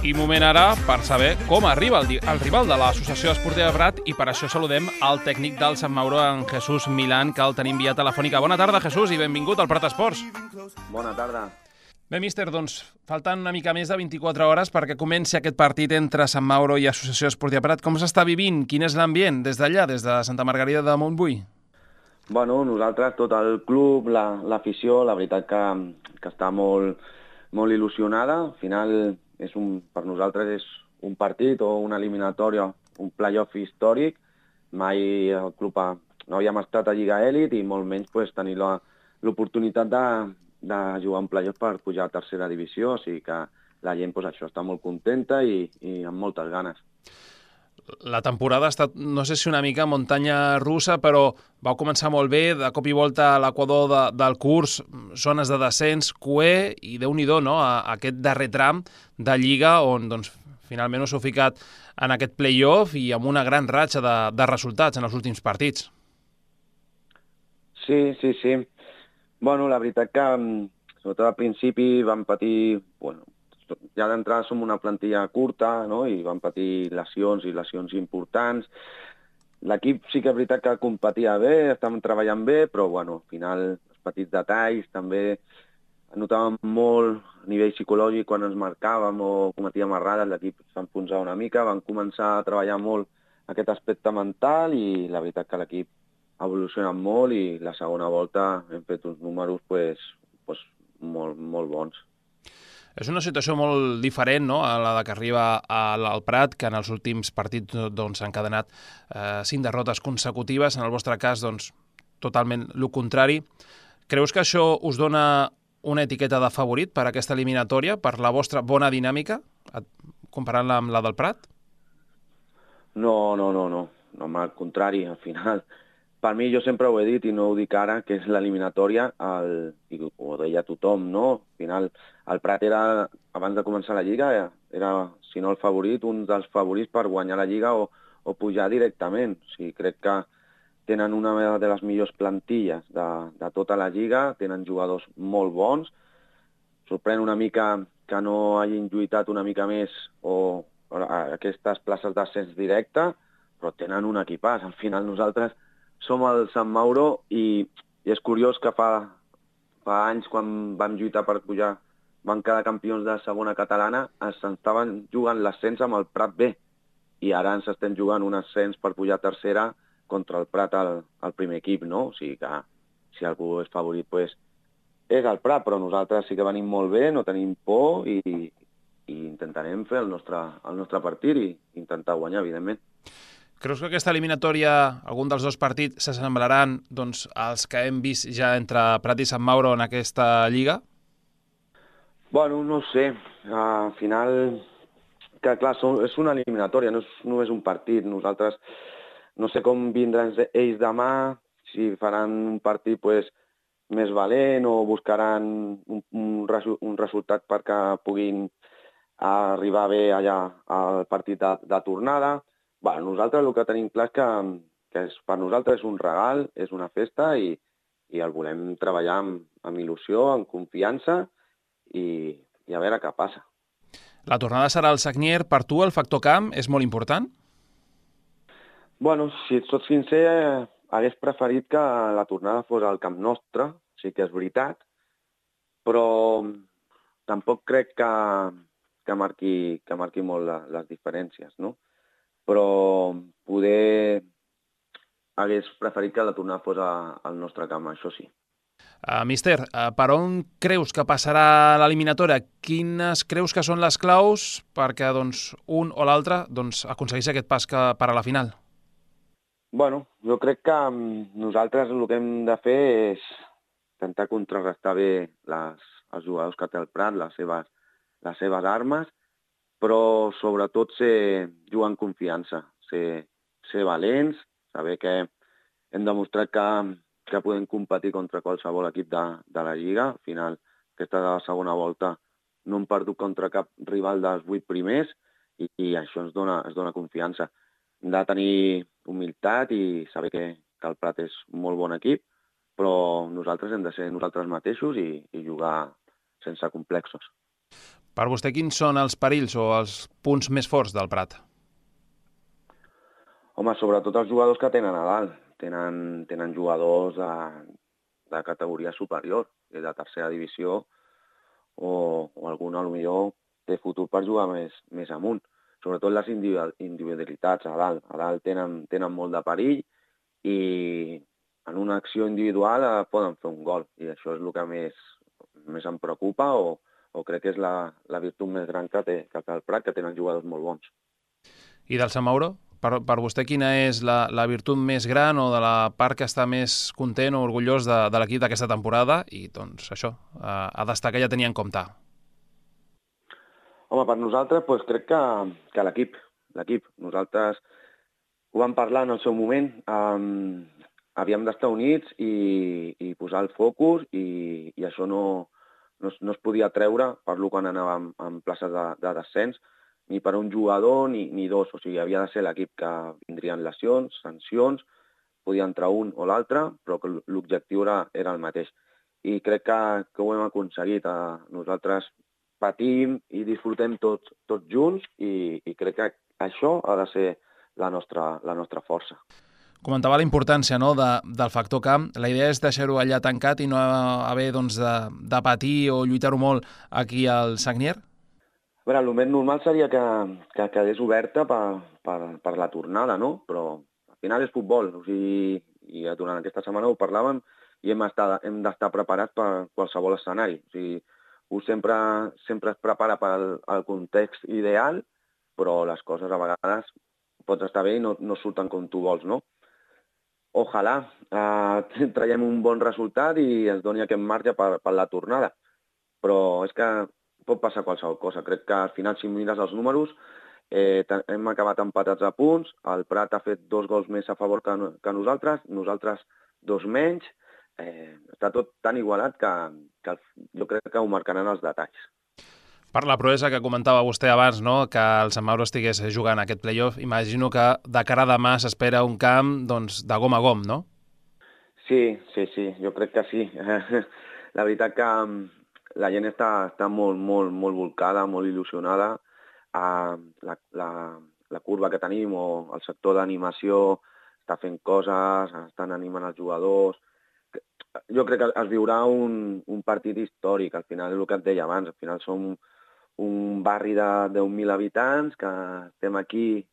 I moment ara per saber com arriba el rival de l'Associació Esportiva Prat i per això saludem al tècnic del Sant Mauro, en Jesús Milán, que el tenim via telefònica. Bona tarda, Jesús, i benvingut al Prat Esports. Bona tarda. Bé, míster, doncs falten una mica més de 24 hores perquè comenci aquest partit entre Sant Mauro i Associació Esportiva Prat. Com s'està vivint? Quin és l'ambient des d'allà, des de Santa Margarida de Montbui? Bueno, nosaltres, tot el club, l'afició, la veritat que està molt il·lusionada. Al final, per nosaltres és un partit o una eliminatòria, un play-off històric. Mai el club no havíem estat a Lliga Elit i molt menys tenir l'oportunitat de jugar un play-off per pujar a tercera divisió. O sigui que la gent això està molt contenta i amb moltes ganes. La temporada ha estat, no sé si una mica muntanya russa, però vau començar molt bé, de cop i volta a l'equador del curs, zones de descens, cué, i Déu-n'hi-do, no?, a aquest darrer tram de Lliga, on doncs, finalment us heu ficat en aquest play-off i amb una gran ratxa de resultats en els últims partits. Sí. Bueno, la veritat que, sobretot al principi, vam patir... Ja d'entrada som una plantilla curta, no?, i vam patir lesions importants. L'equip sí que és veritat que competia bé, estàvem treballant bé, però al final els petits detalls també notàvem molt a nivell psicològic quan ens marcàvem o cometíem errades, l'equip s'enfonsava una mica, vam començar a treballar molt aquest aspecte mental i la veritat que l'equip ha evolucionat molt i la segona volta hem fet uns números molt bons. És una situació molt diferent, no?, a la que arriba al Prat, que en els últims partits s'han encadenat 5 derrotes consecutives. En el vostre cas, totalment el contrari. Creus que això us dona una etiqueta de favorit per a aquesta eliminatòria, per la vostra bona dinàmica, comparant-la amb la del Prat? No, al contrari, al final. Per mi, jo sempre ho he dit i no ho dic ara, que és l'eliminatòria, i ho deia tothom, no? Al final, el Prat era, abans de començar la Lliga, era, si no el favorit, un dels favorits per guanyar la Lliga o pujar directament. O sigui, crec que tenen una de les millors plantilles de tota la Lliga, tenen jugadors molt bons. Sorprèn una mica que no hagin lluitat una mica més o aquestes places d'ascens directe, però tenen un equipàs. Al final, nosaltres som el Sant Mauro i és curiós que fa anys, quan vam lluitar per pujar, vam quedar campions de segona catalana, estaven jugant l'ascens amb el Prat B i ara ens estem jugant un ascens per pujar a tercera contra el Prat al primer equip, no? O sigui que si algú és favorit és el Prat, però nosaltres sí que venim molt bé, no tenim por i intentarem fer el nostre partit i intentar guanyar, evidentment. Creus que aquesta eliminatòria, algun dels dos partits, s'assemblaran als que hem vist ja entre Prat i Sant Mauro en aquesta Lliga? Bueno, no sé. Al final, que clar, és una eliminatòria, no és només un partit. Nosaltres no sé com vindran ells demà, si faran un partit més valent o buscaran un resultat perquè puguin arribar bé allà al partit de tornada. Nosaltres el que tenim clar és que per nosaltres és un regal, és una festa i el volem treballar amb il·lusió, amb confiança i a veure què passa. La tornada serà al Sagnier. Per tu el factor camp és molt important? Bueno, si et soc sincer, hagués preferit que la tornada fos al camp nostre, sí que és veritat, però tampoc crec que marqui molt les diferències, no? Però poder hagués preferit que la tornada fos al nostre camp, això sí. Míster, per on creus que passarà l'eliminatòria? Quines creus que són les claus perquè un o l'altre aconsegueixi aquest pas per a la final? Bueno, jo crec que nosaltres el que hem de fer és intentar contrarrestar bé els jugadors que té el Prat, les seves armes, però sobretot jugar en confiança, ser valents, saber que hem demostrat que podem competir contra qualsevol equip de la Lliga. Al final, aquesta segona volta no hem perdut contra cap rival dels 8 primers i això ens dona confiança. Hem de tenir humilitat i saber que el Prat és un molt bon equip, però nosaltres hem de ser nosaltres mateixos i jugar sense complexos. Per vostè, quins són els perills o els punts més forts del Prat? Home, sobretot els jugadors que tenen a dalt. Tenen jugadors de categoria superior, de tercera divisió, o algun, potser, té futur per jugar més amunt. Sobretot les individualitats a dalt. A dalt tenen molt de perill i en una acció individual poden fer un gol. I això és el que més em preocupa o crec que és la virtut més gran que té el Prat, que tenen jugadors molt bons. I del Sant Mauro? Per vostè, quina és la virtut més gran o de la part que està més content o orgullós de l'equip d'aquesta temporada? I, doncs, això, a destacar ja tenia en compte. Home, per nosaltres, doncs, crec que l'equip. Nosaltres ho vam parlar en el seu moment. Havíem d'estar units i posar el focus i això no es podia treure per lo quan anàvem en places de descens, ni per un jugador ni dos. O sigui, havia de ser l'equip, que vindrien lesions, sancions, podia entrar un o l'altre, però que l'objectiu era el mateix. I crec que ho hem aconseguit. Nosaltres patim i disfrutem tots junts i crec que això ha de ser la nostra força. Comentava la importància, no, del factor camp. La idea és deixar-ho allà tancat i no haver doncs, de patir o lluitar-ho molt aquí al Sagnier? A veure, el més normal seria que quedés oberta per la tornada, no? Però al final és futbol. O sigui, i durant aquesta setmana ho parlàvem i hem d'estar preparats per qualsevol escenari. O sigui, sempre es prepara pel context ideal, però les coses a vegades pots estar bé i no surten com tu vols, no? Ojalà traiem un bon resultat i ens doni aquest marge per la tornada. Però és que pot passar qualsevol cosa. Crec que al final, si mires els números, hem acabat empatats a punts, el Prat ha fet 2 gols més a favor que nosaltres 2 menys. Està tot tan igualat que jo crec que ho marcaran els detalls. Per la proesa que comentava vostè abans, no?, que el Sant Mauro estigués jugant aquest play-off, imagino que de cara a demà s'espera un camp doncs, de gom a gom, no? Sí, jo crec que sí. La veritat que la gent està molt volcada, molt il·lusionada. La curva que tenim o el sector d'animació està fent coses, estan animant els jugadors. Jo crec que es viurà un partit històric. Al final és el que et deia abans. Al final som un barri de 10.000 habitants que estem aquí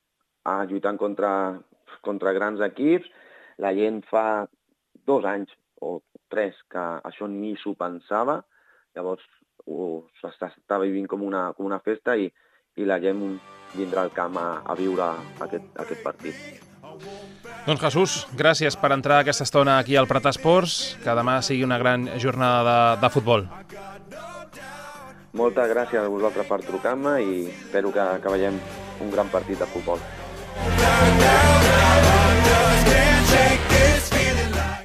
lluitant contra grans equips. La gent fa 2 anys o 3 que això ni s'ho pensava. Llavors s'està vivint com una festa i la gent vindrà al camp a viure aquest partit. Doncs Jesús, gràcies per entrar aquesta estona aquí al Prat Esports, que demà sigui una gran jornada de futbol. Moltes gràcies a vosaltres per trucar-me i espero que veiem un gran partit de futbol.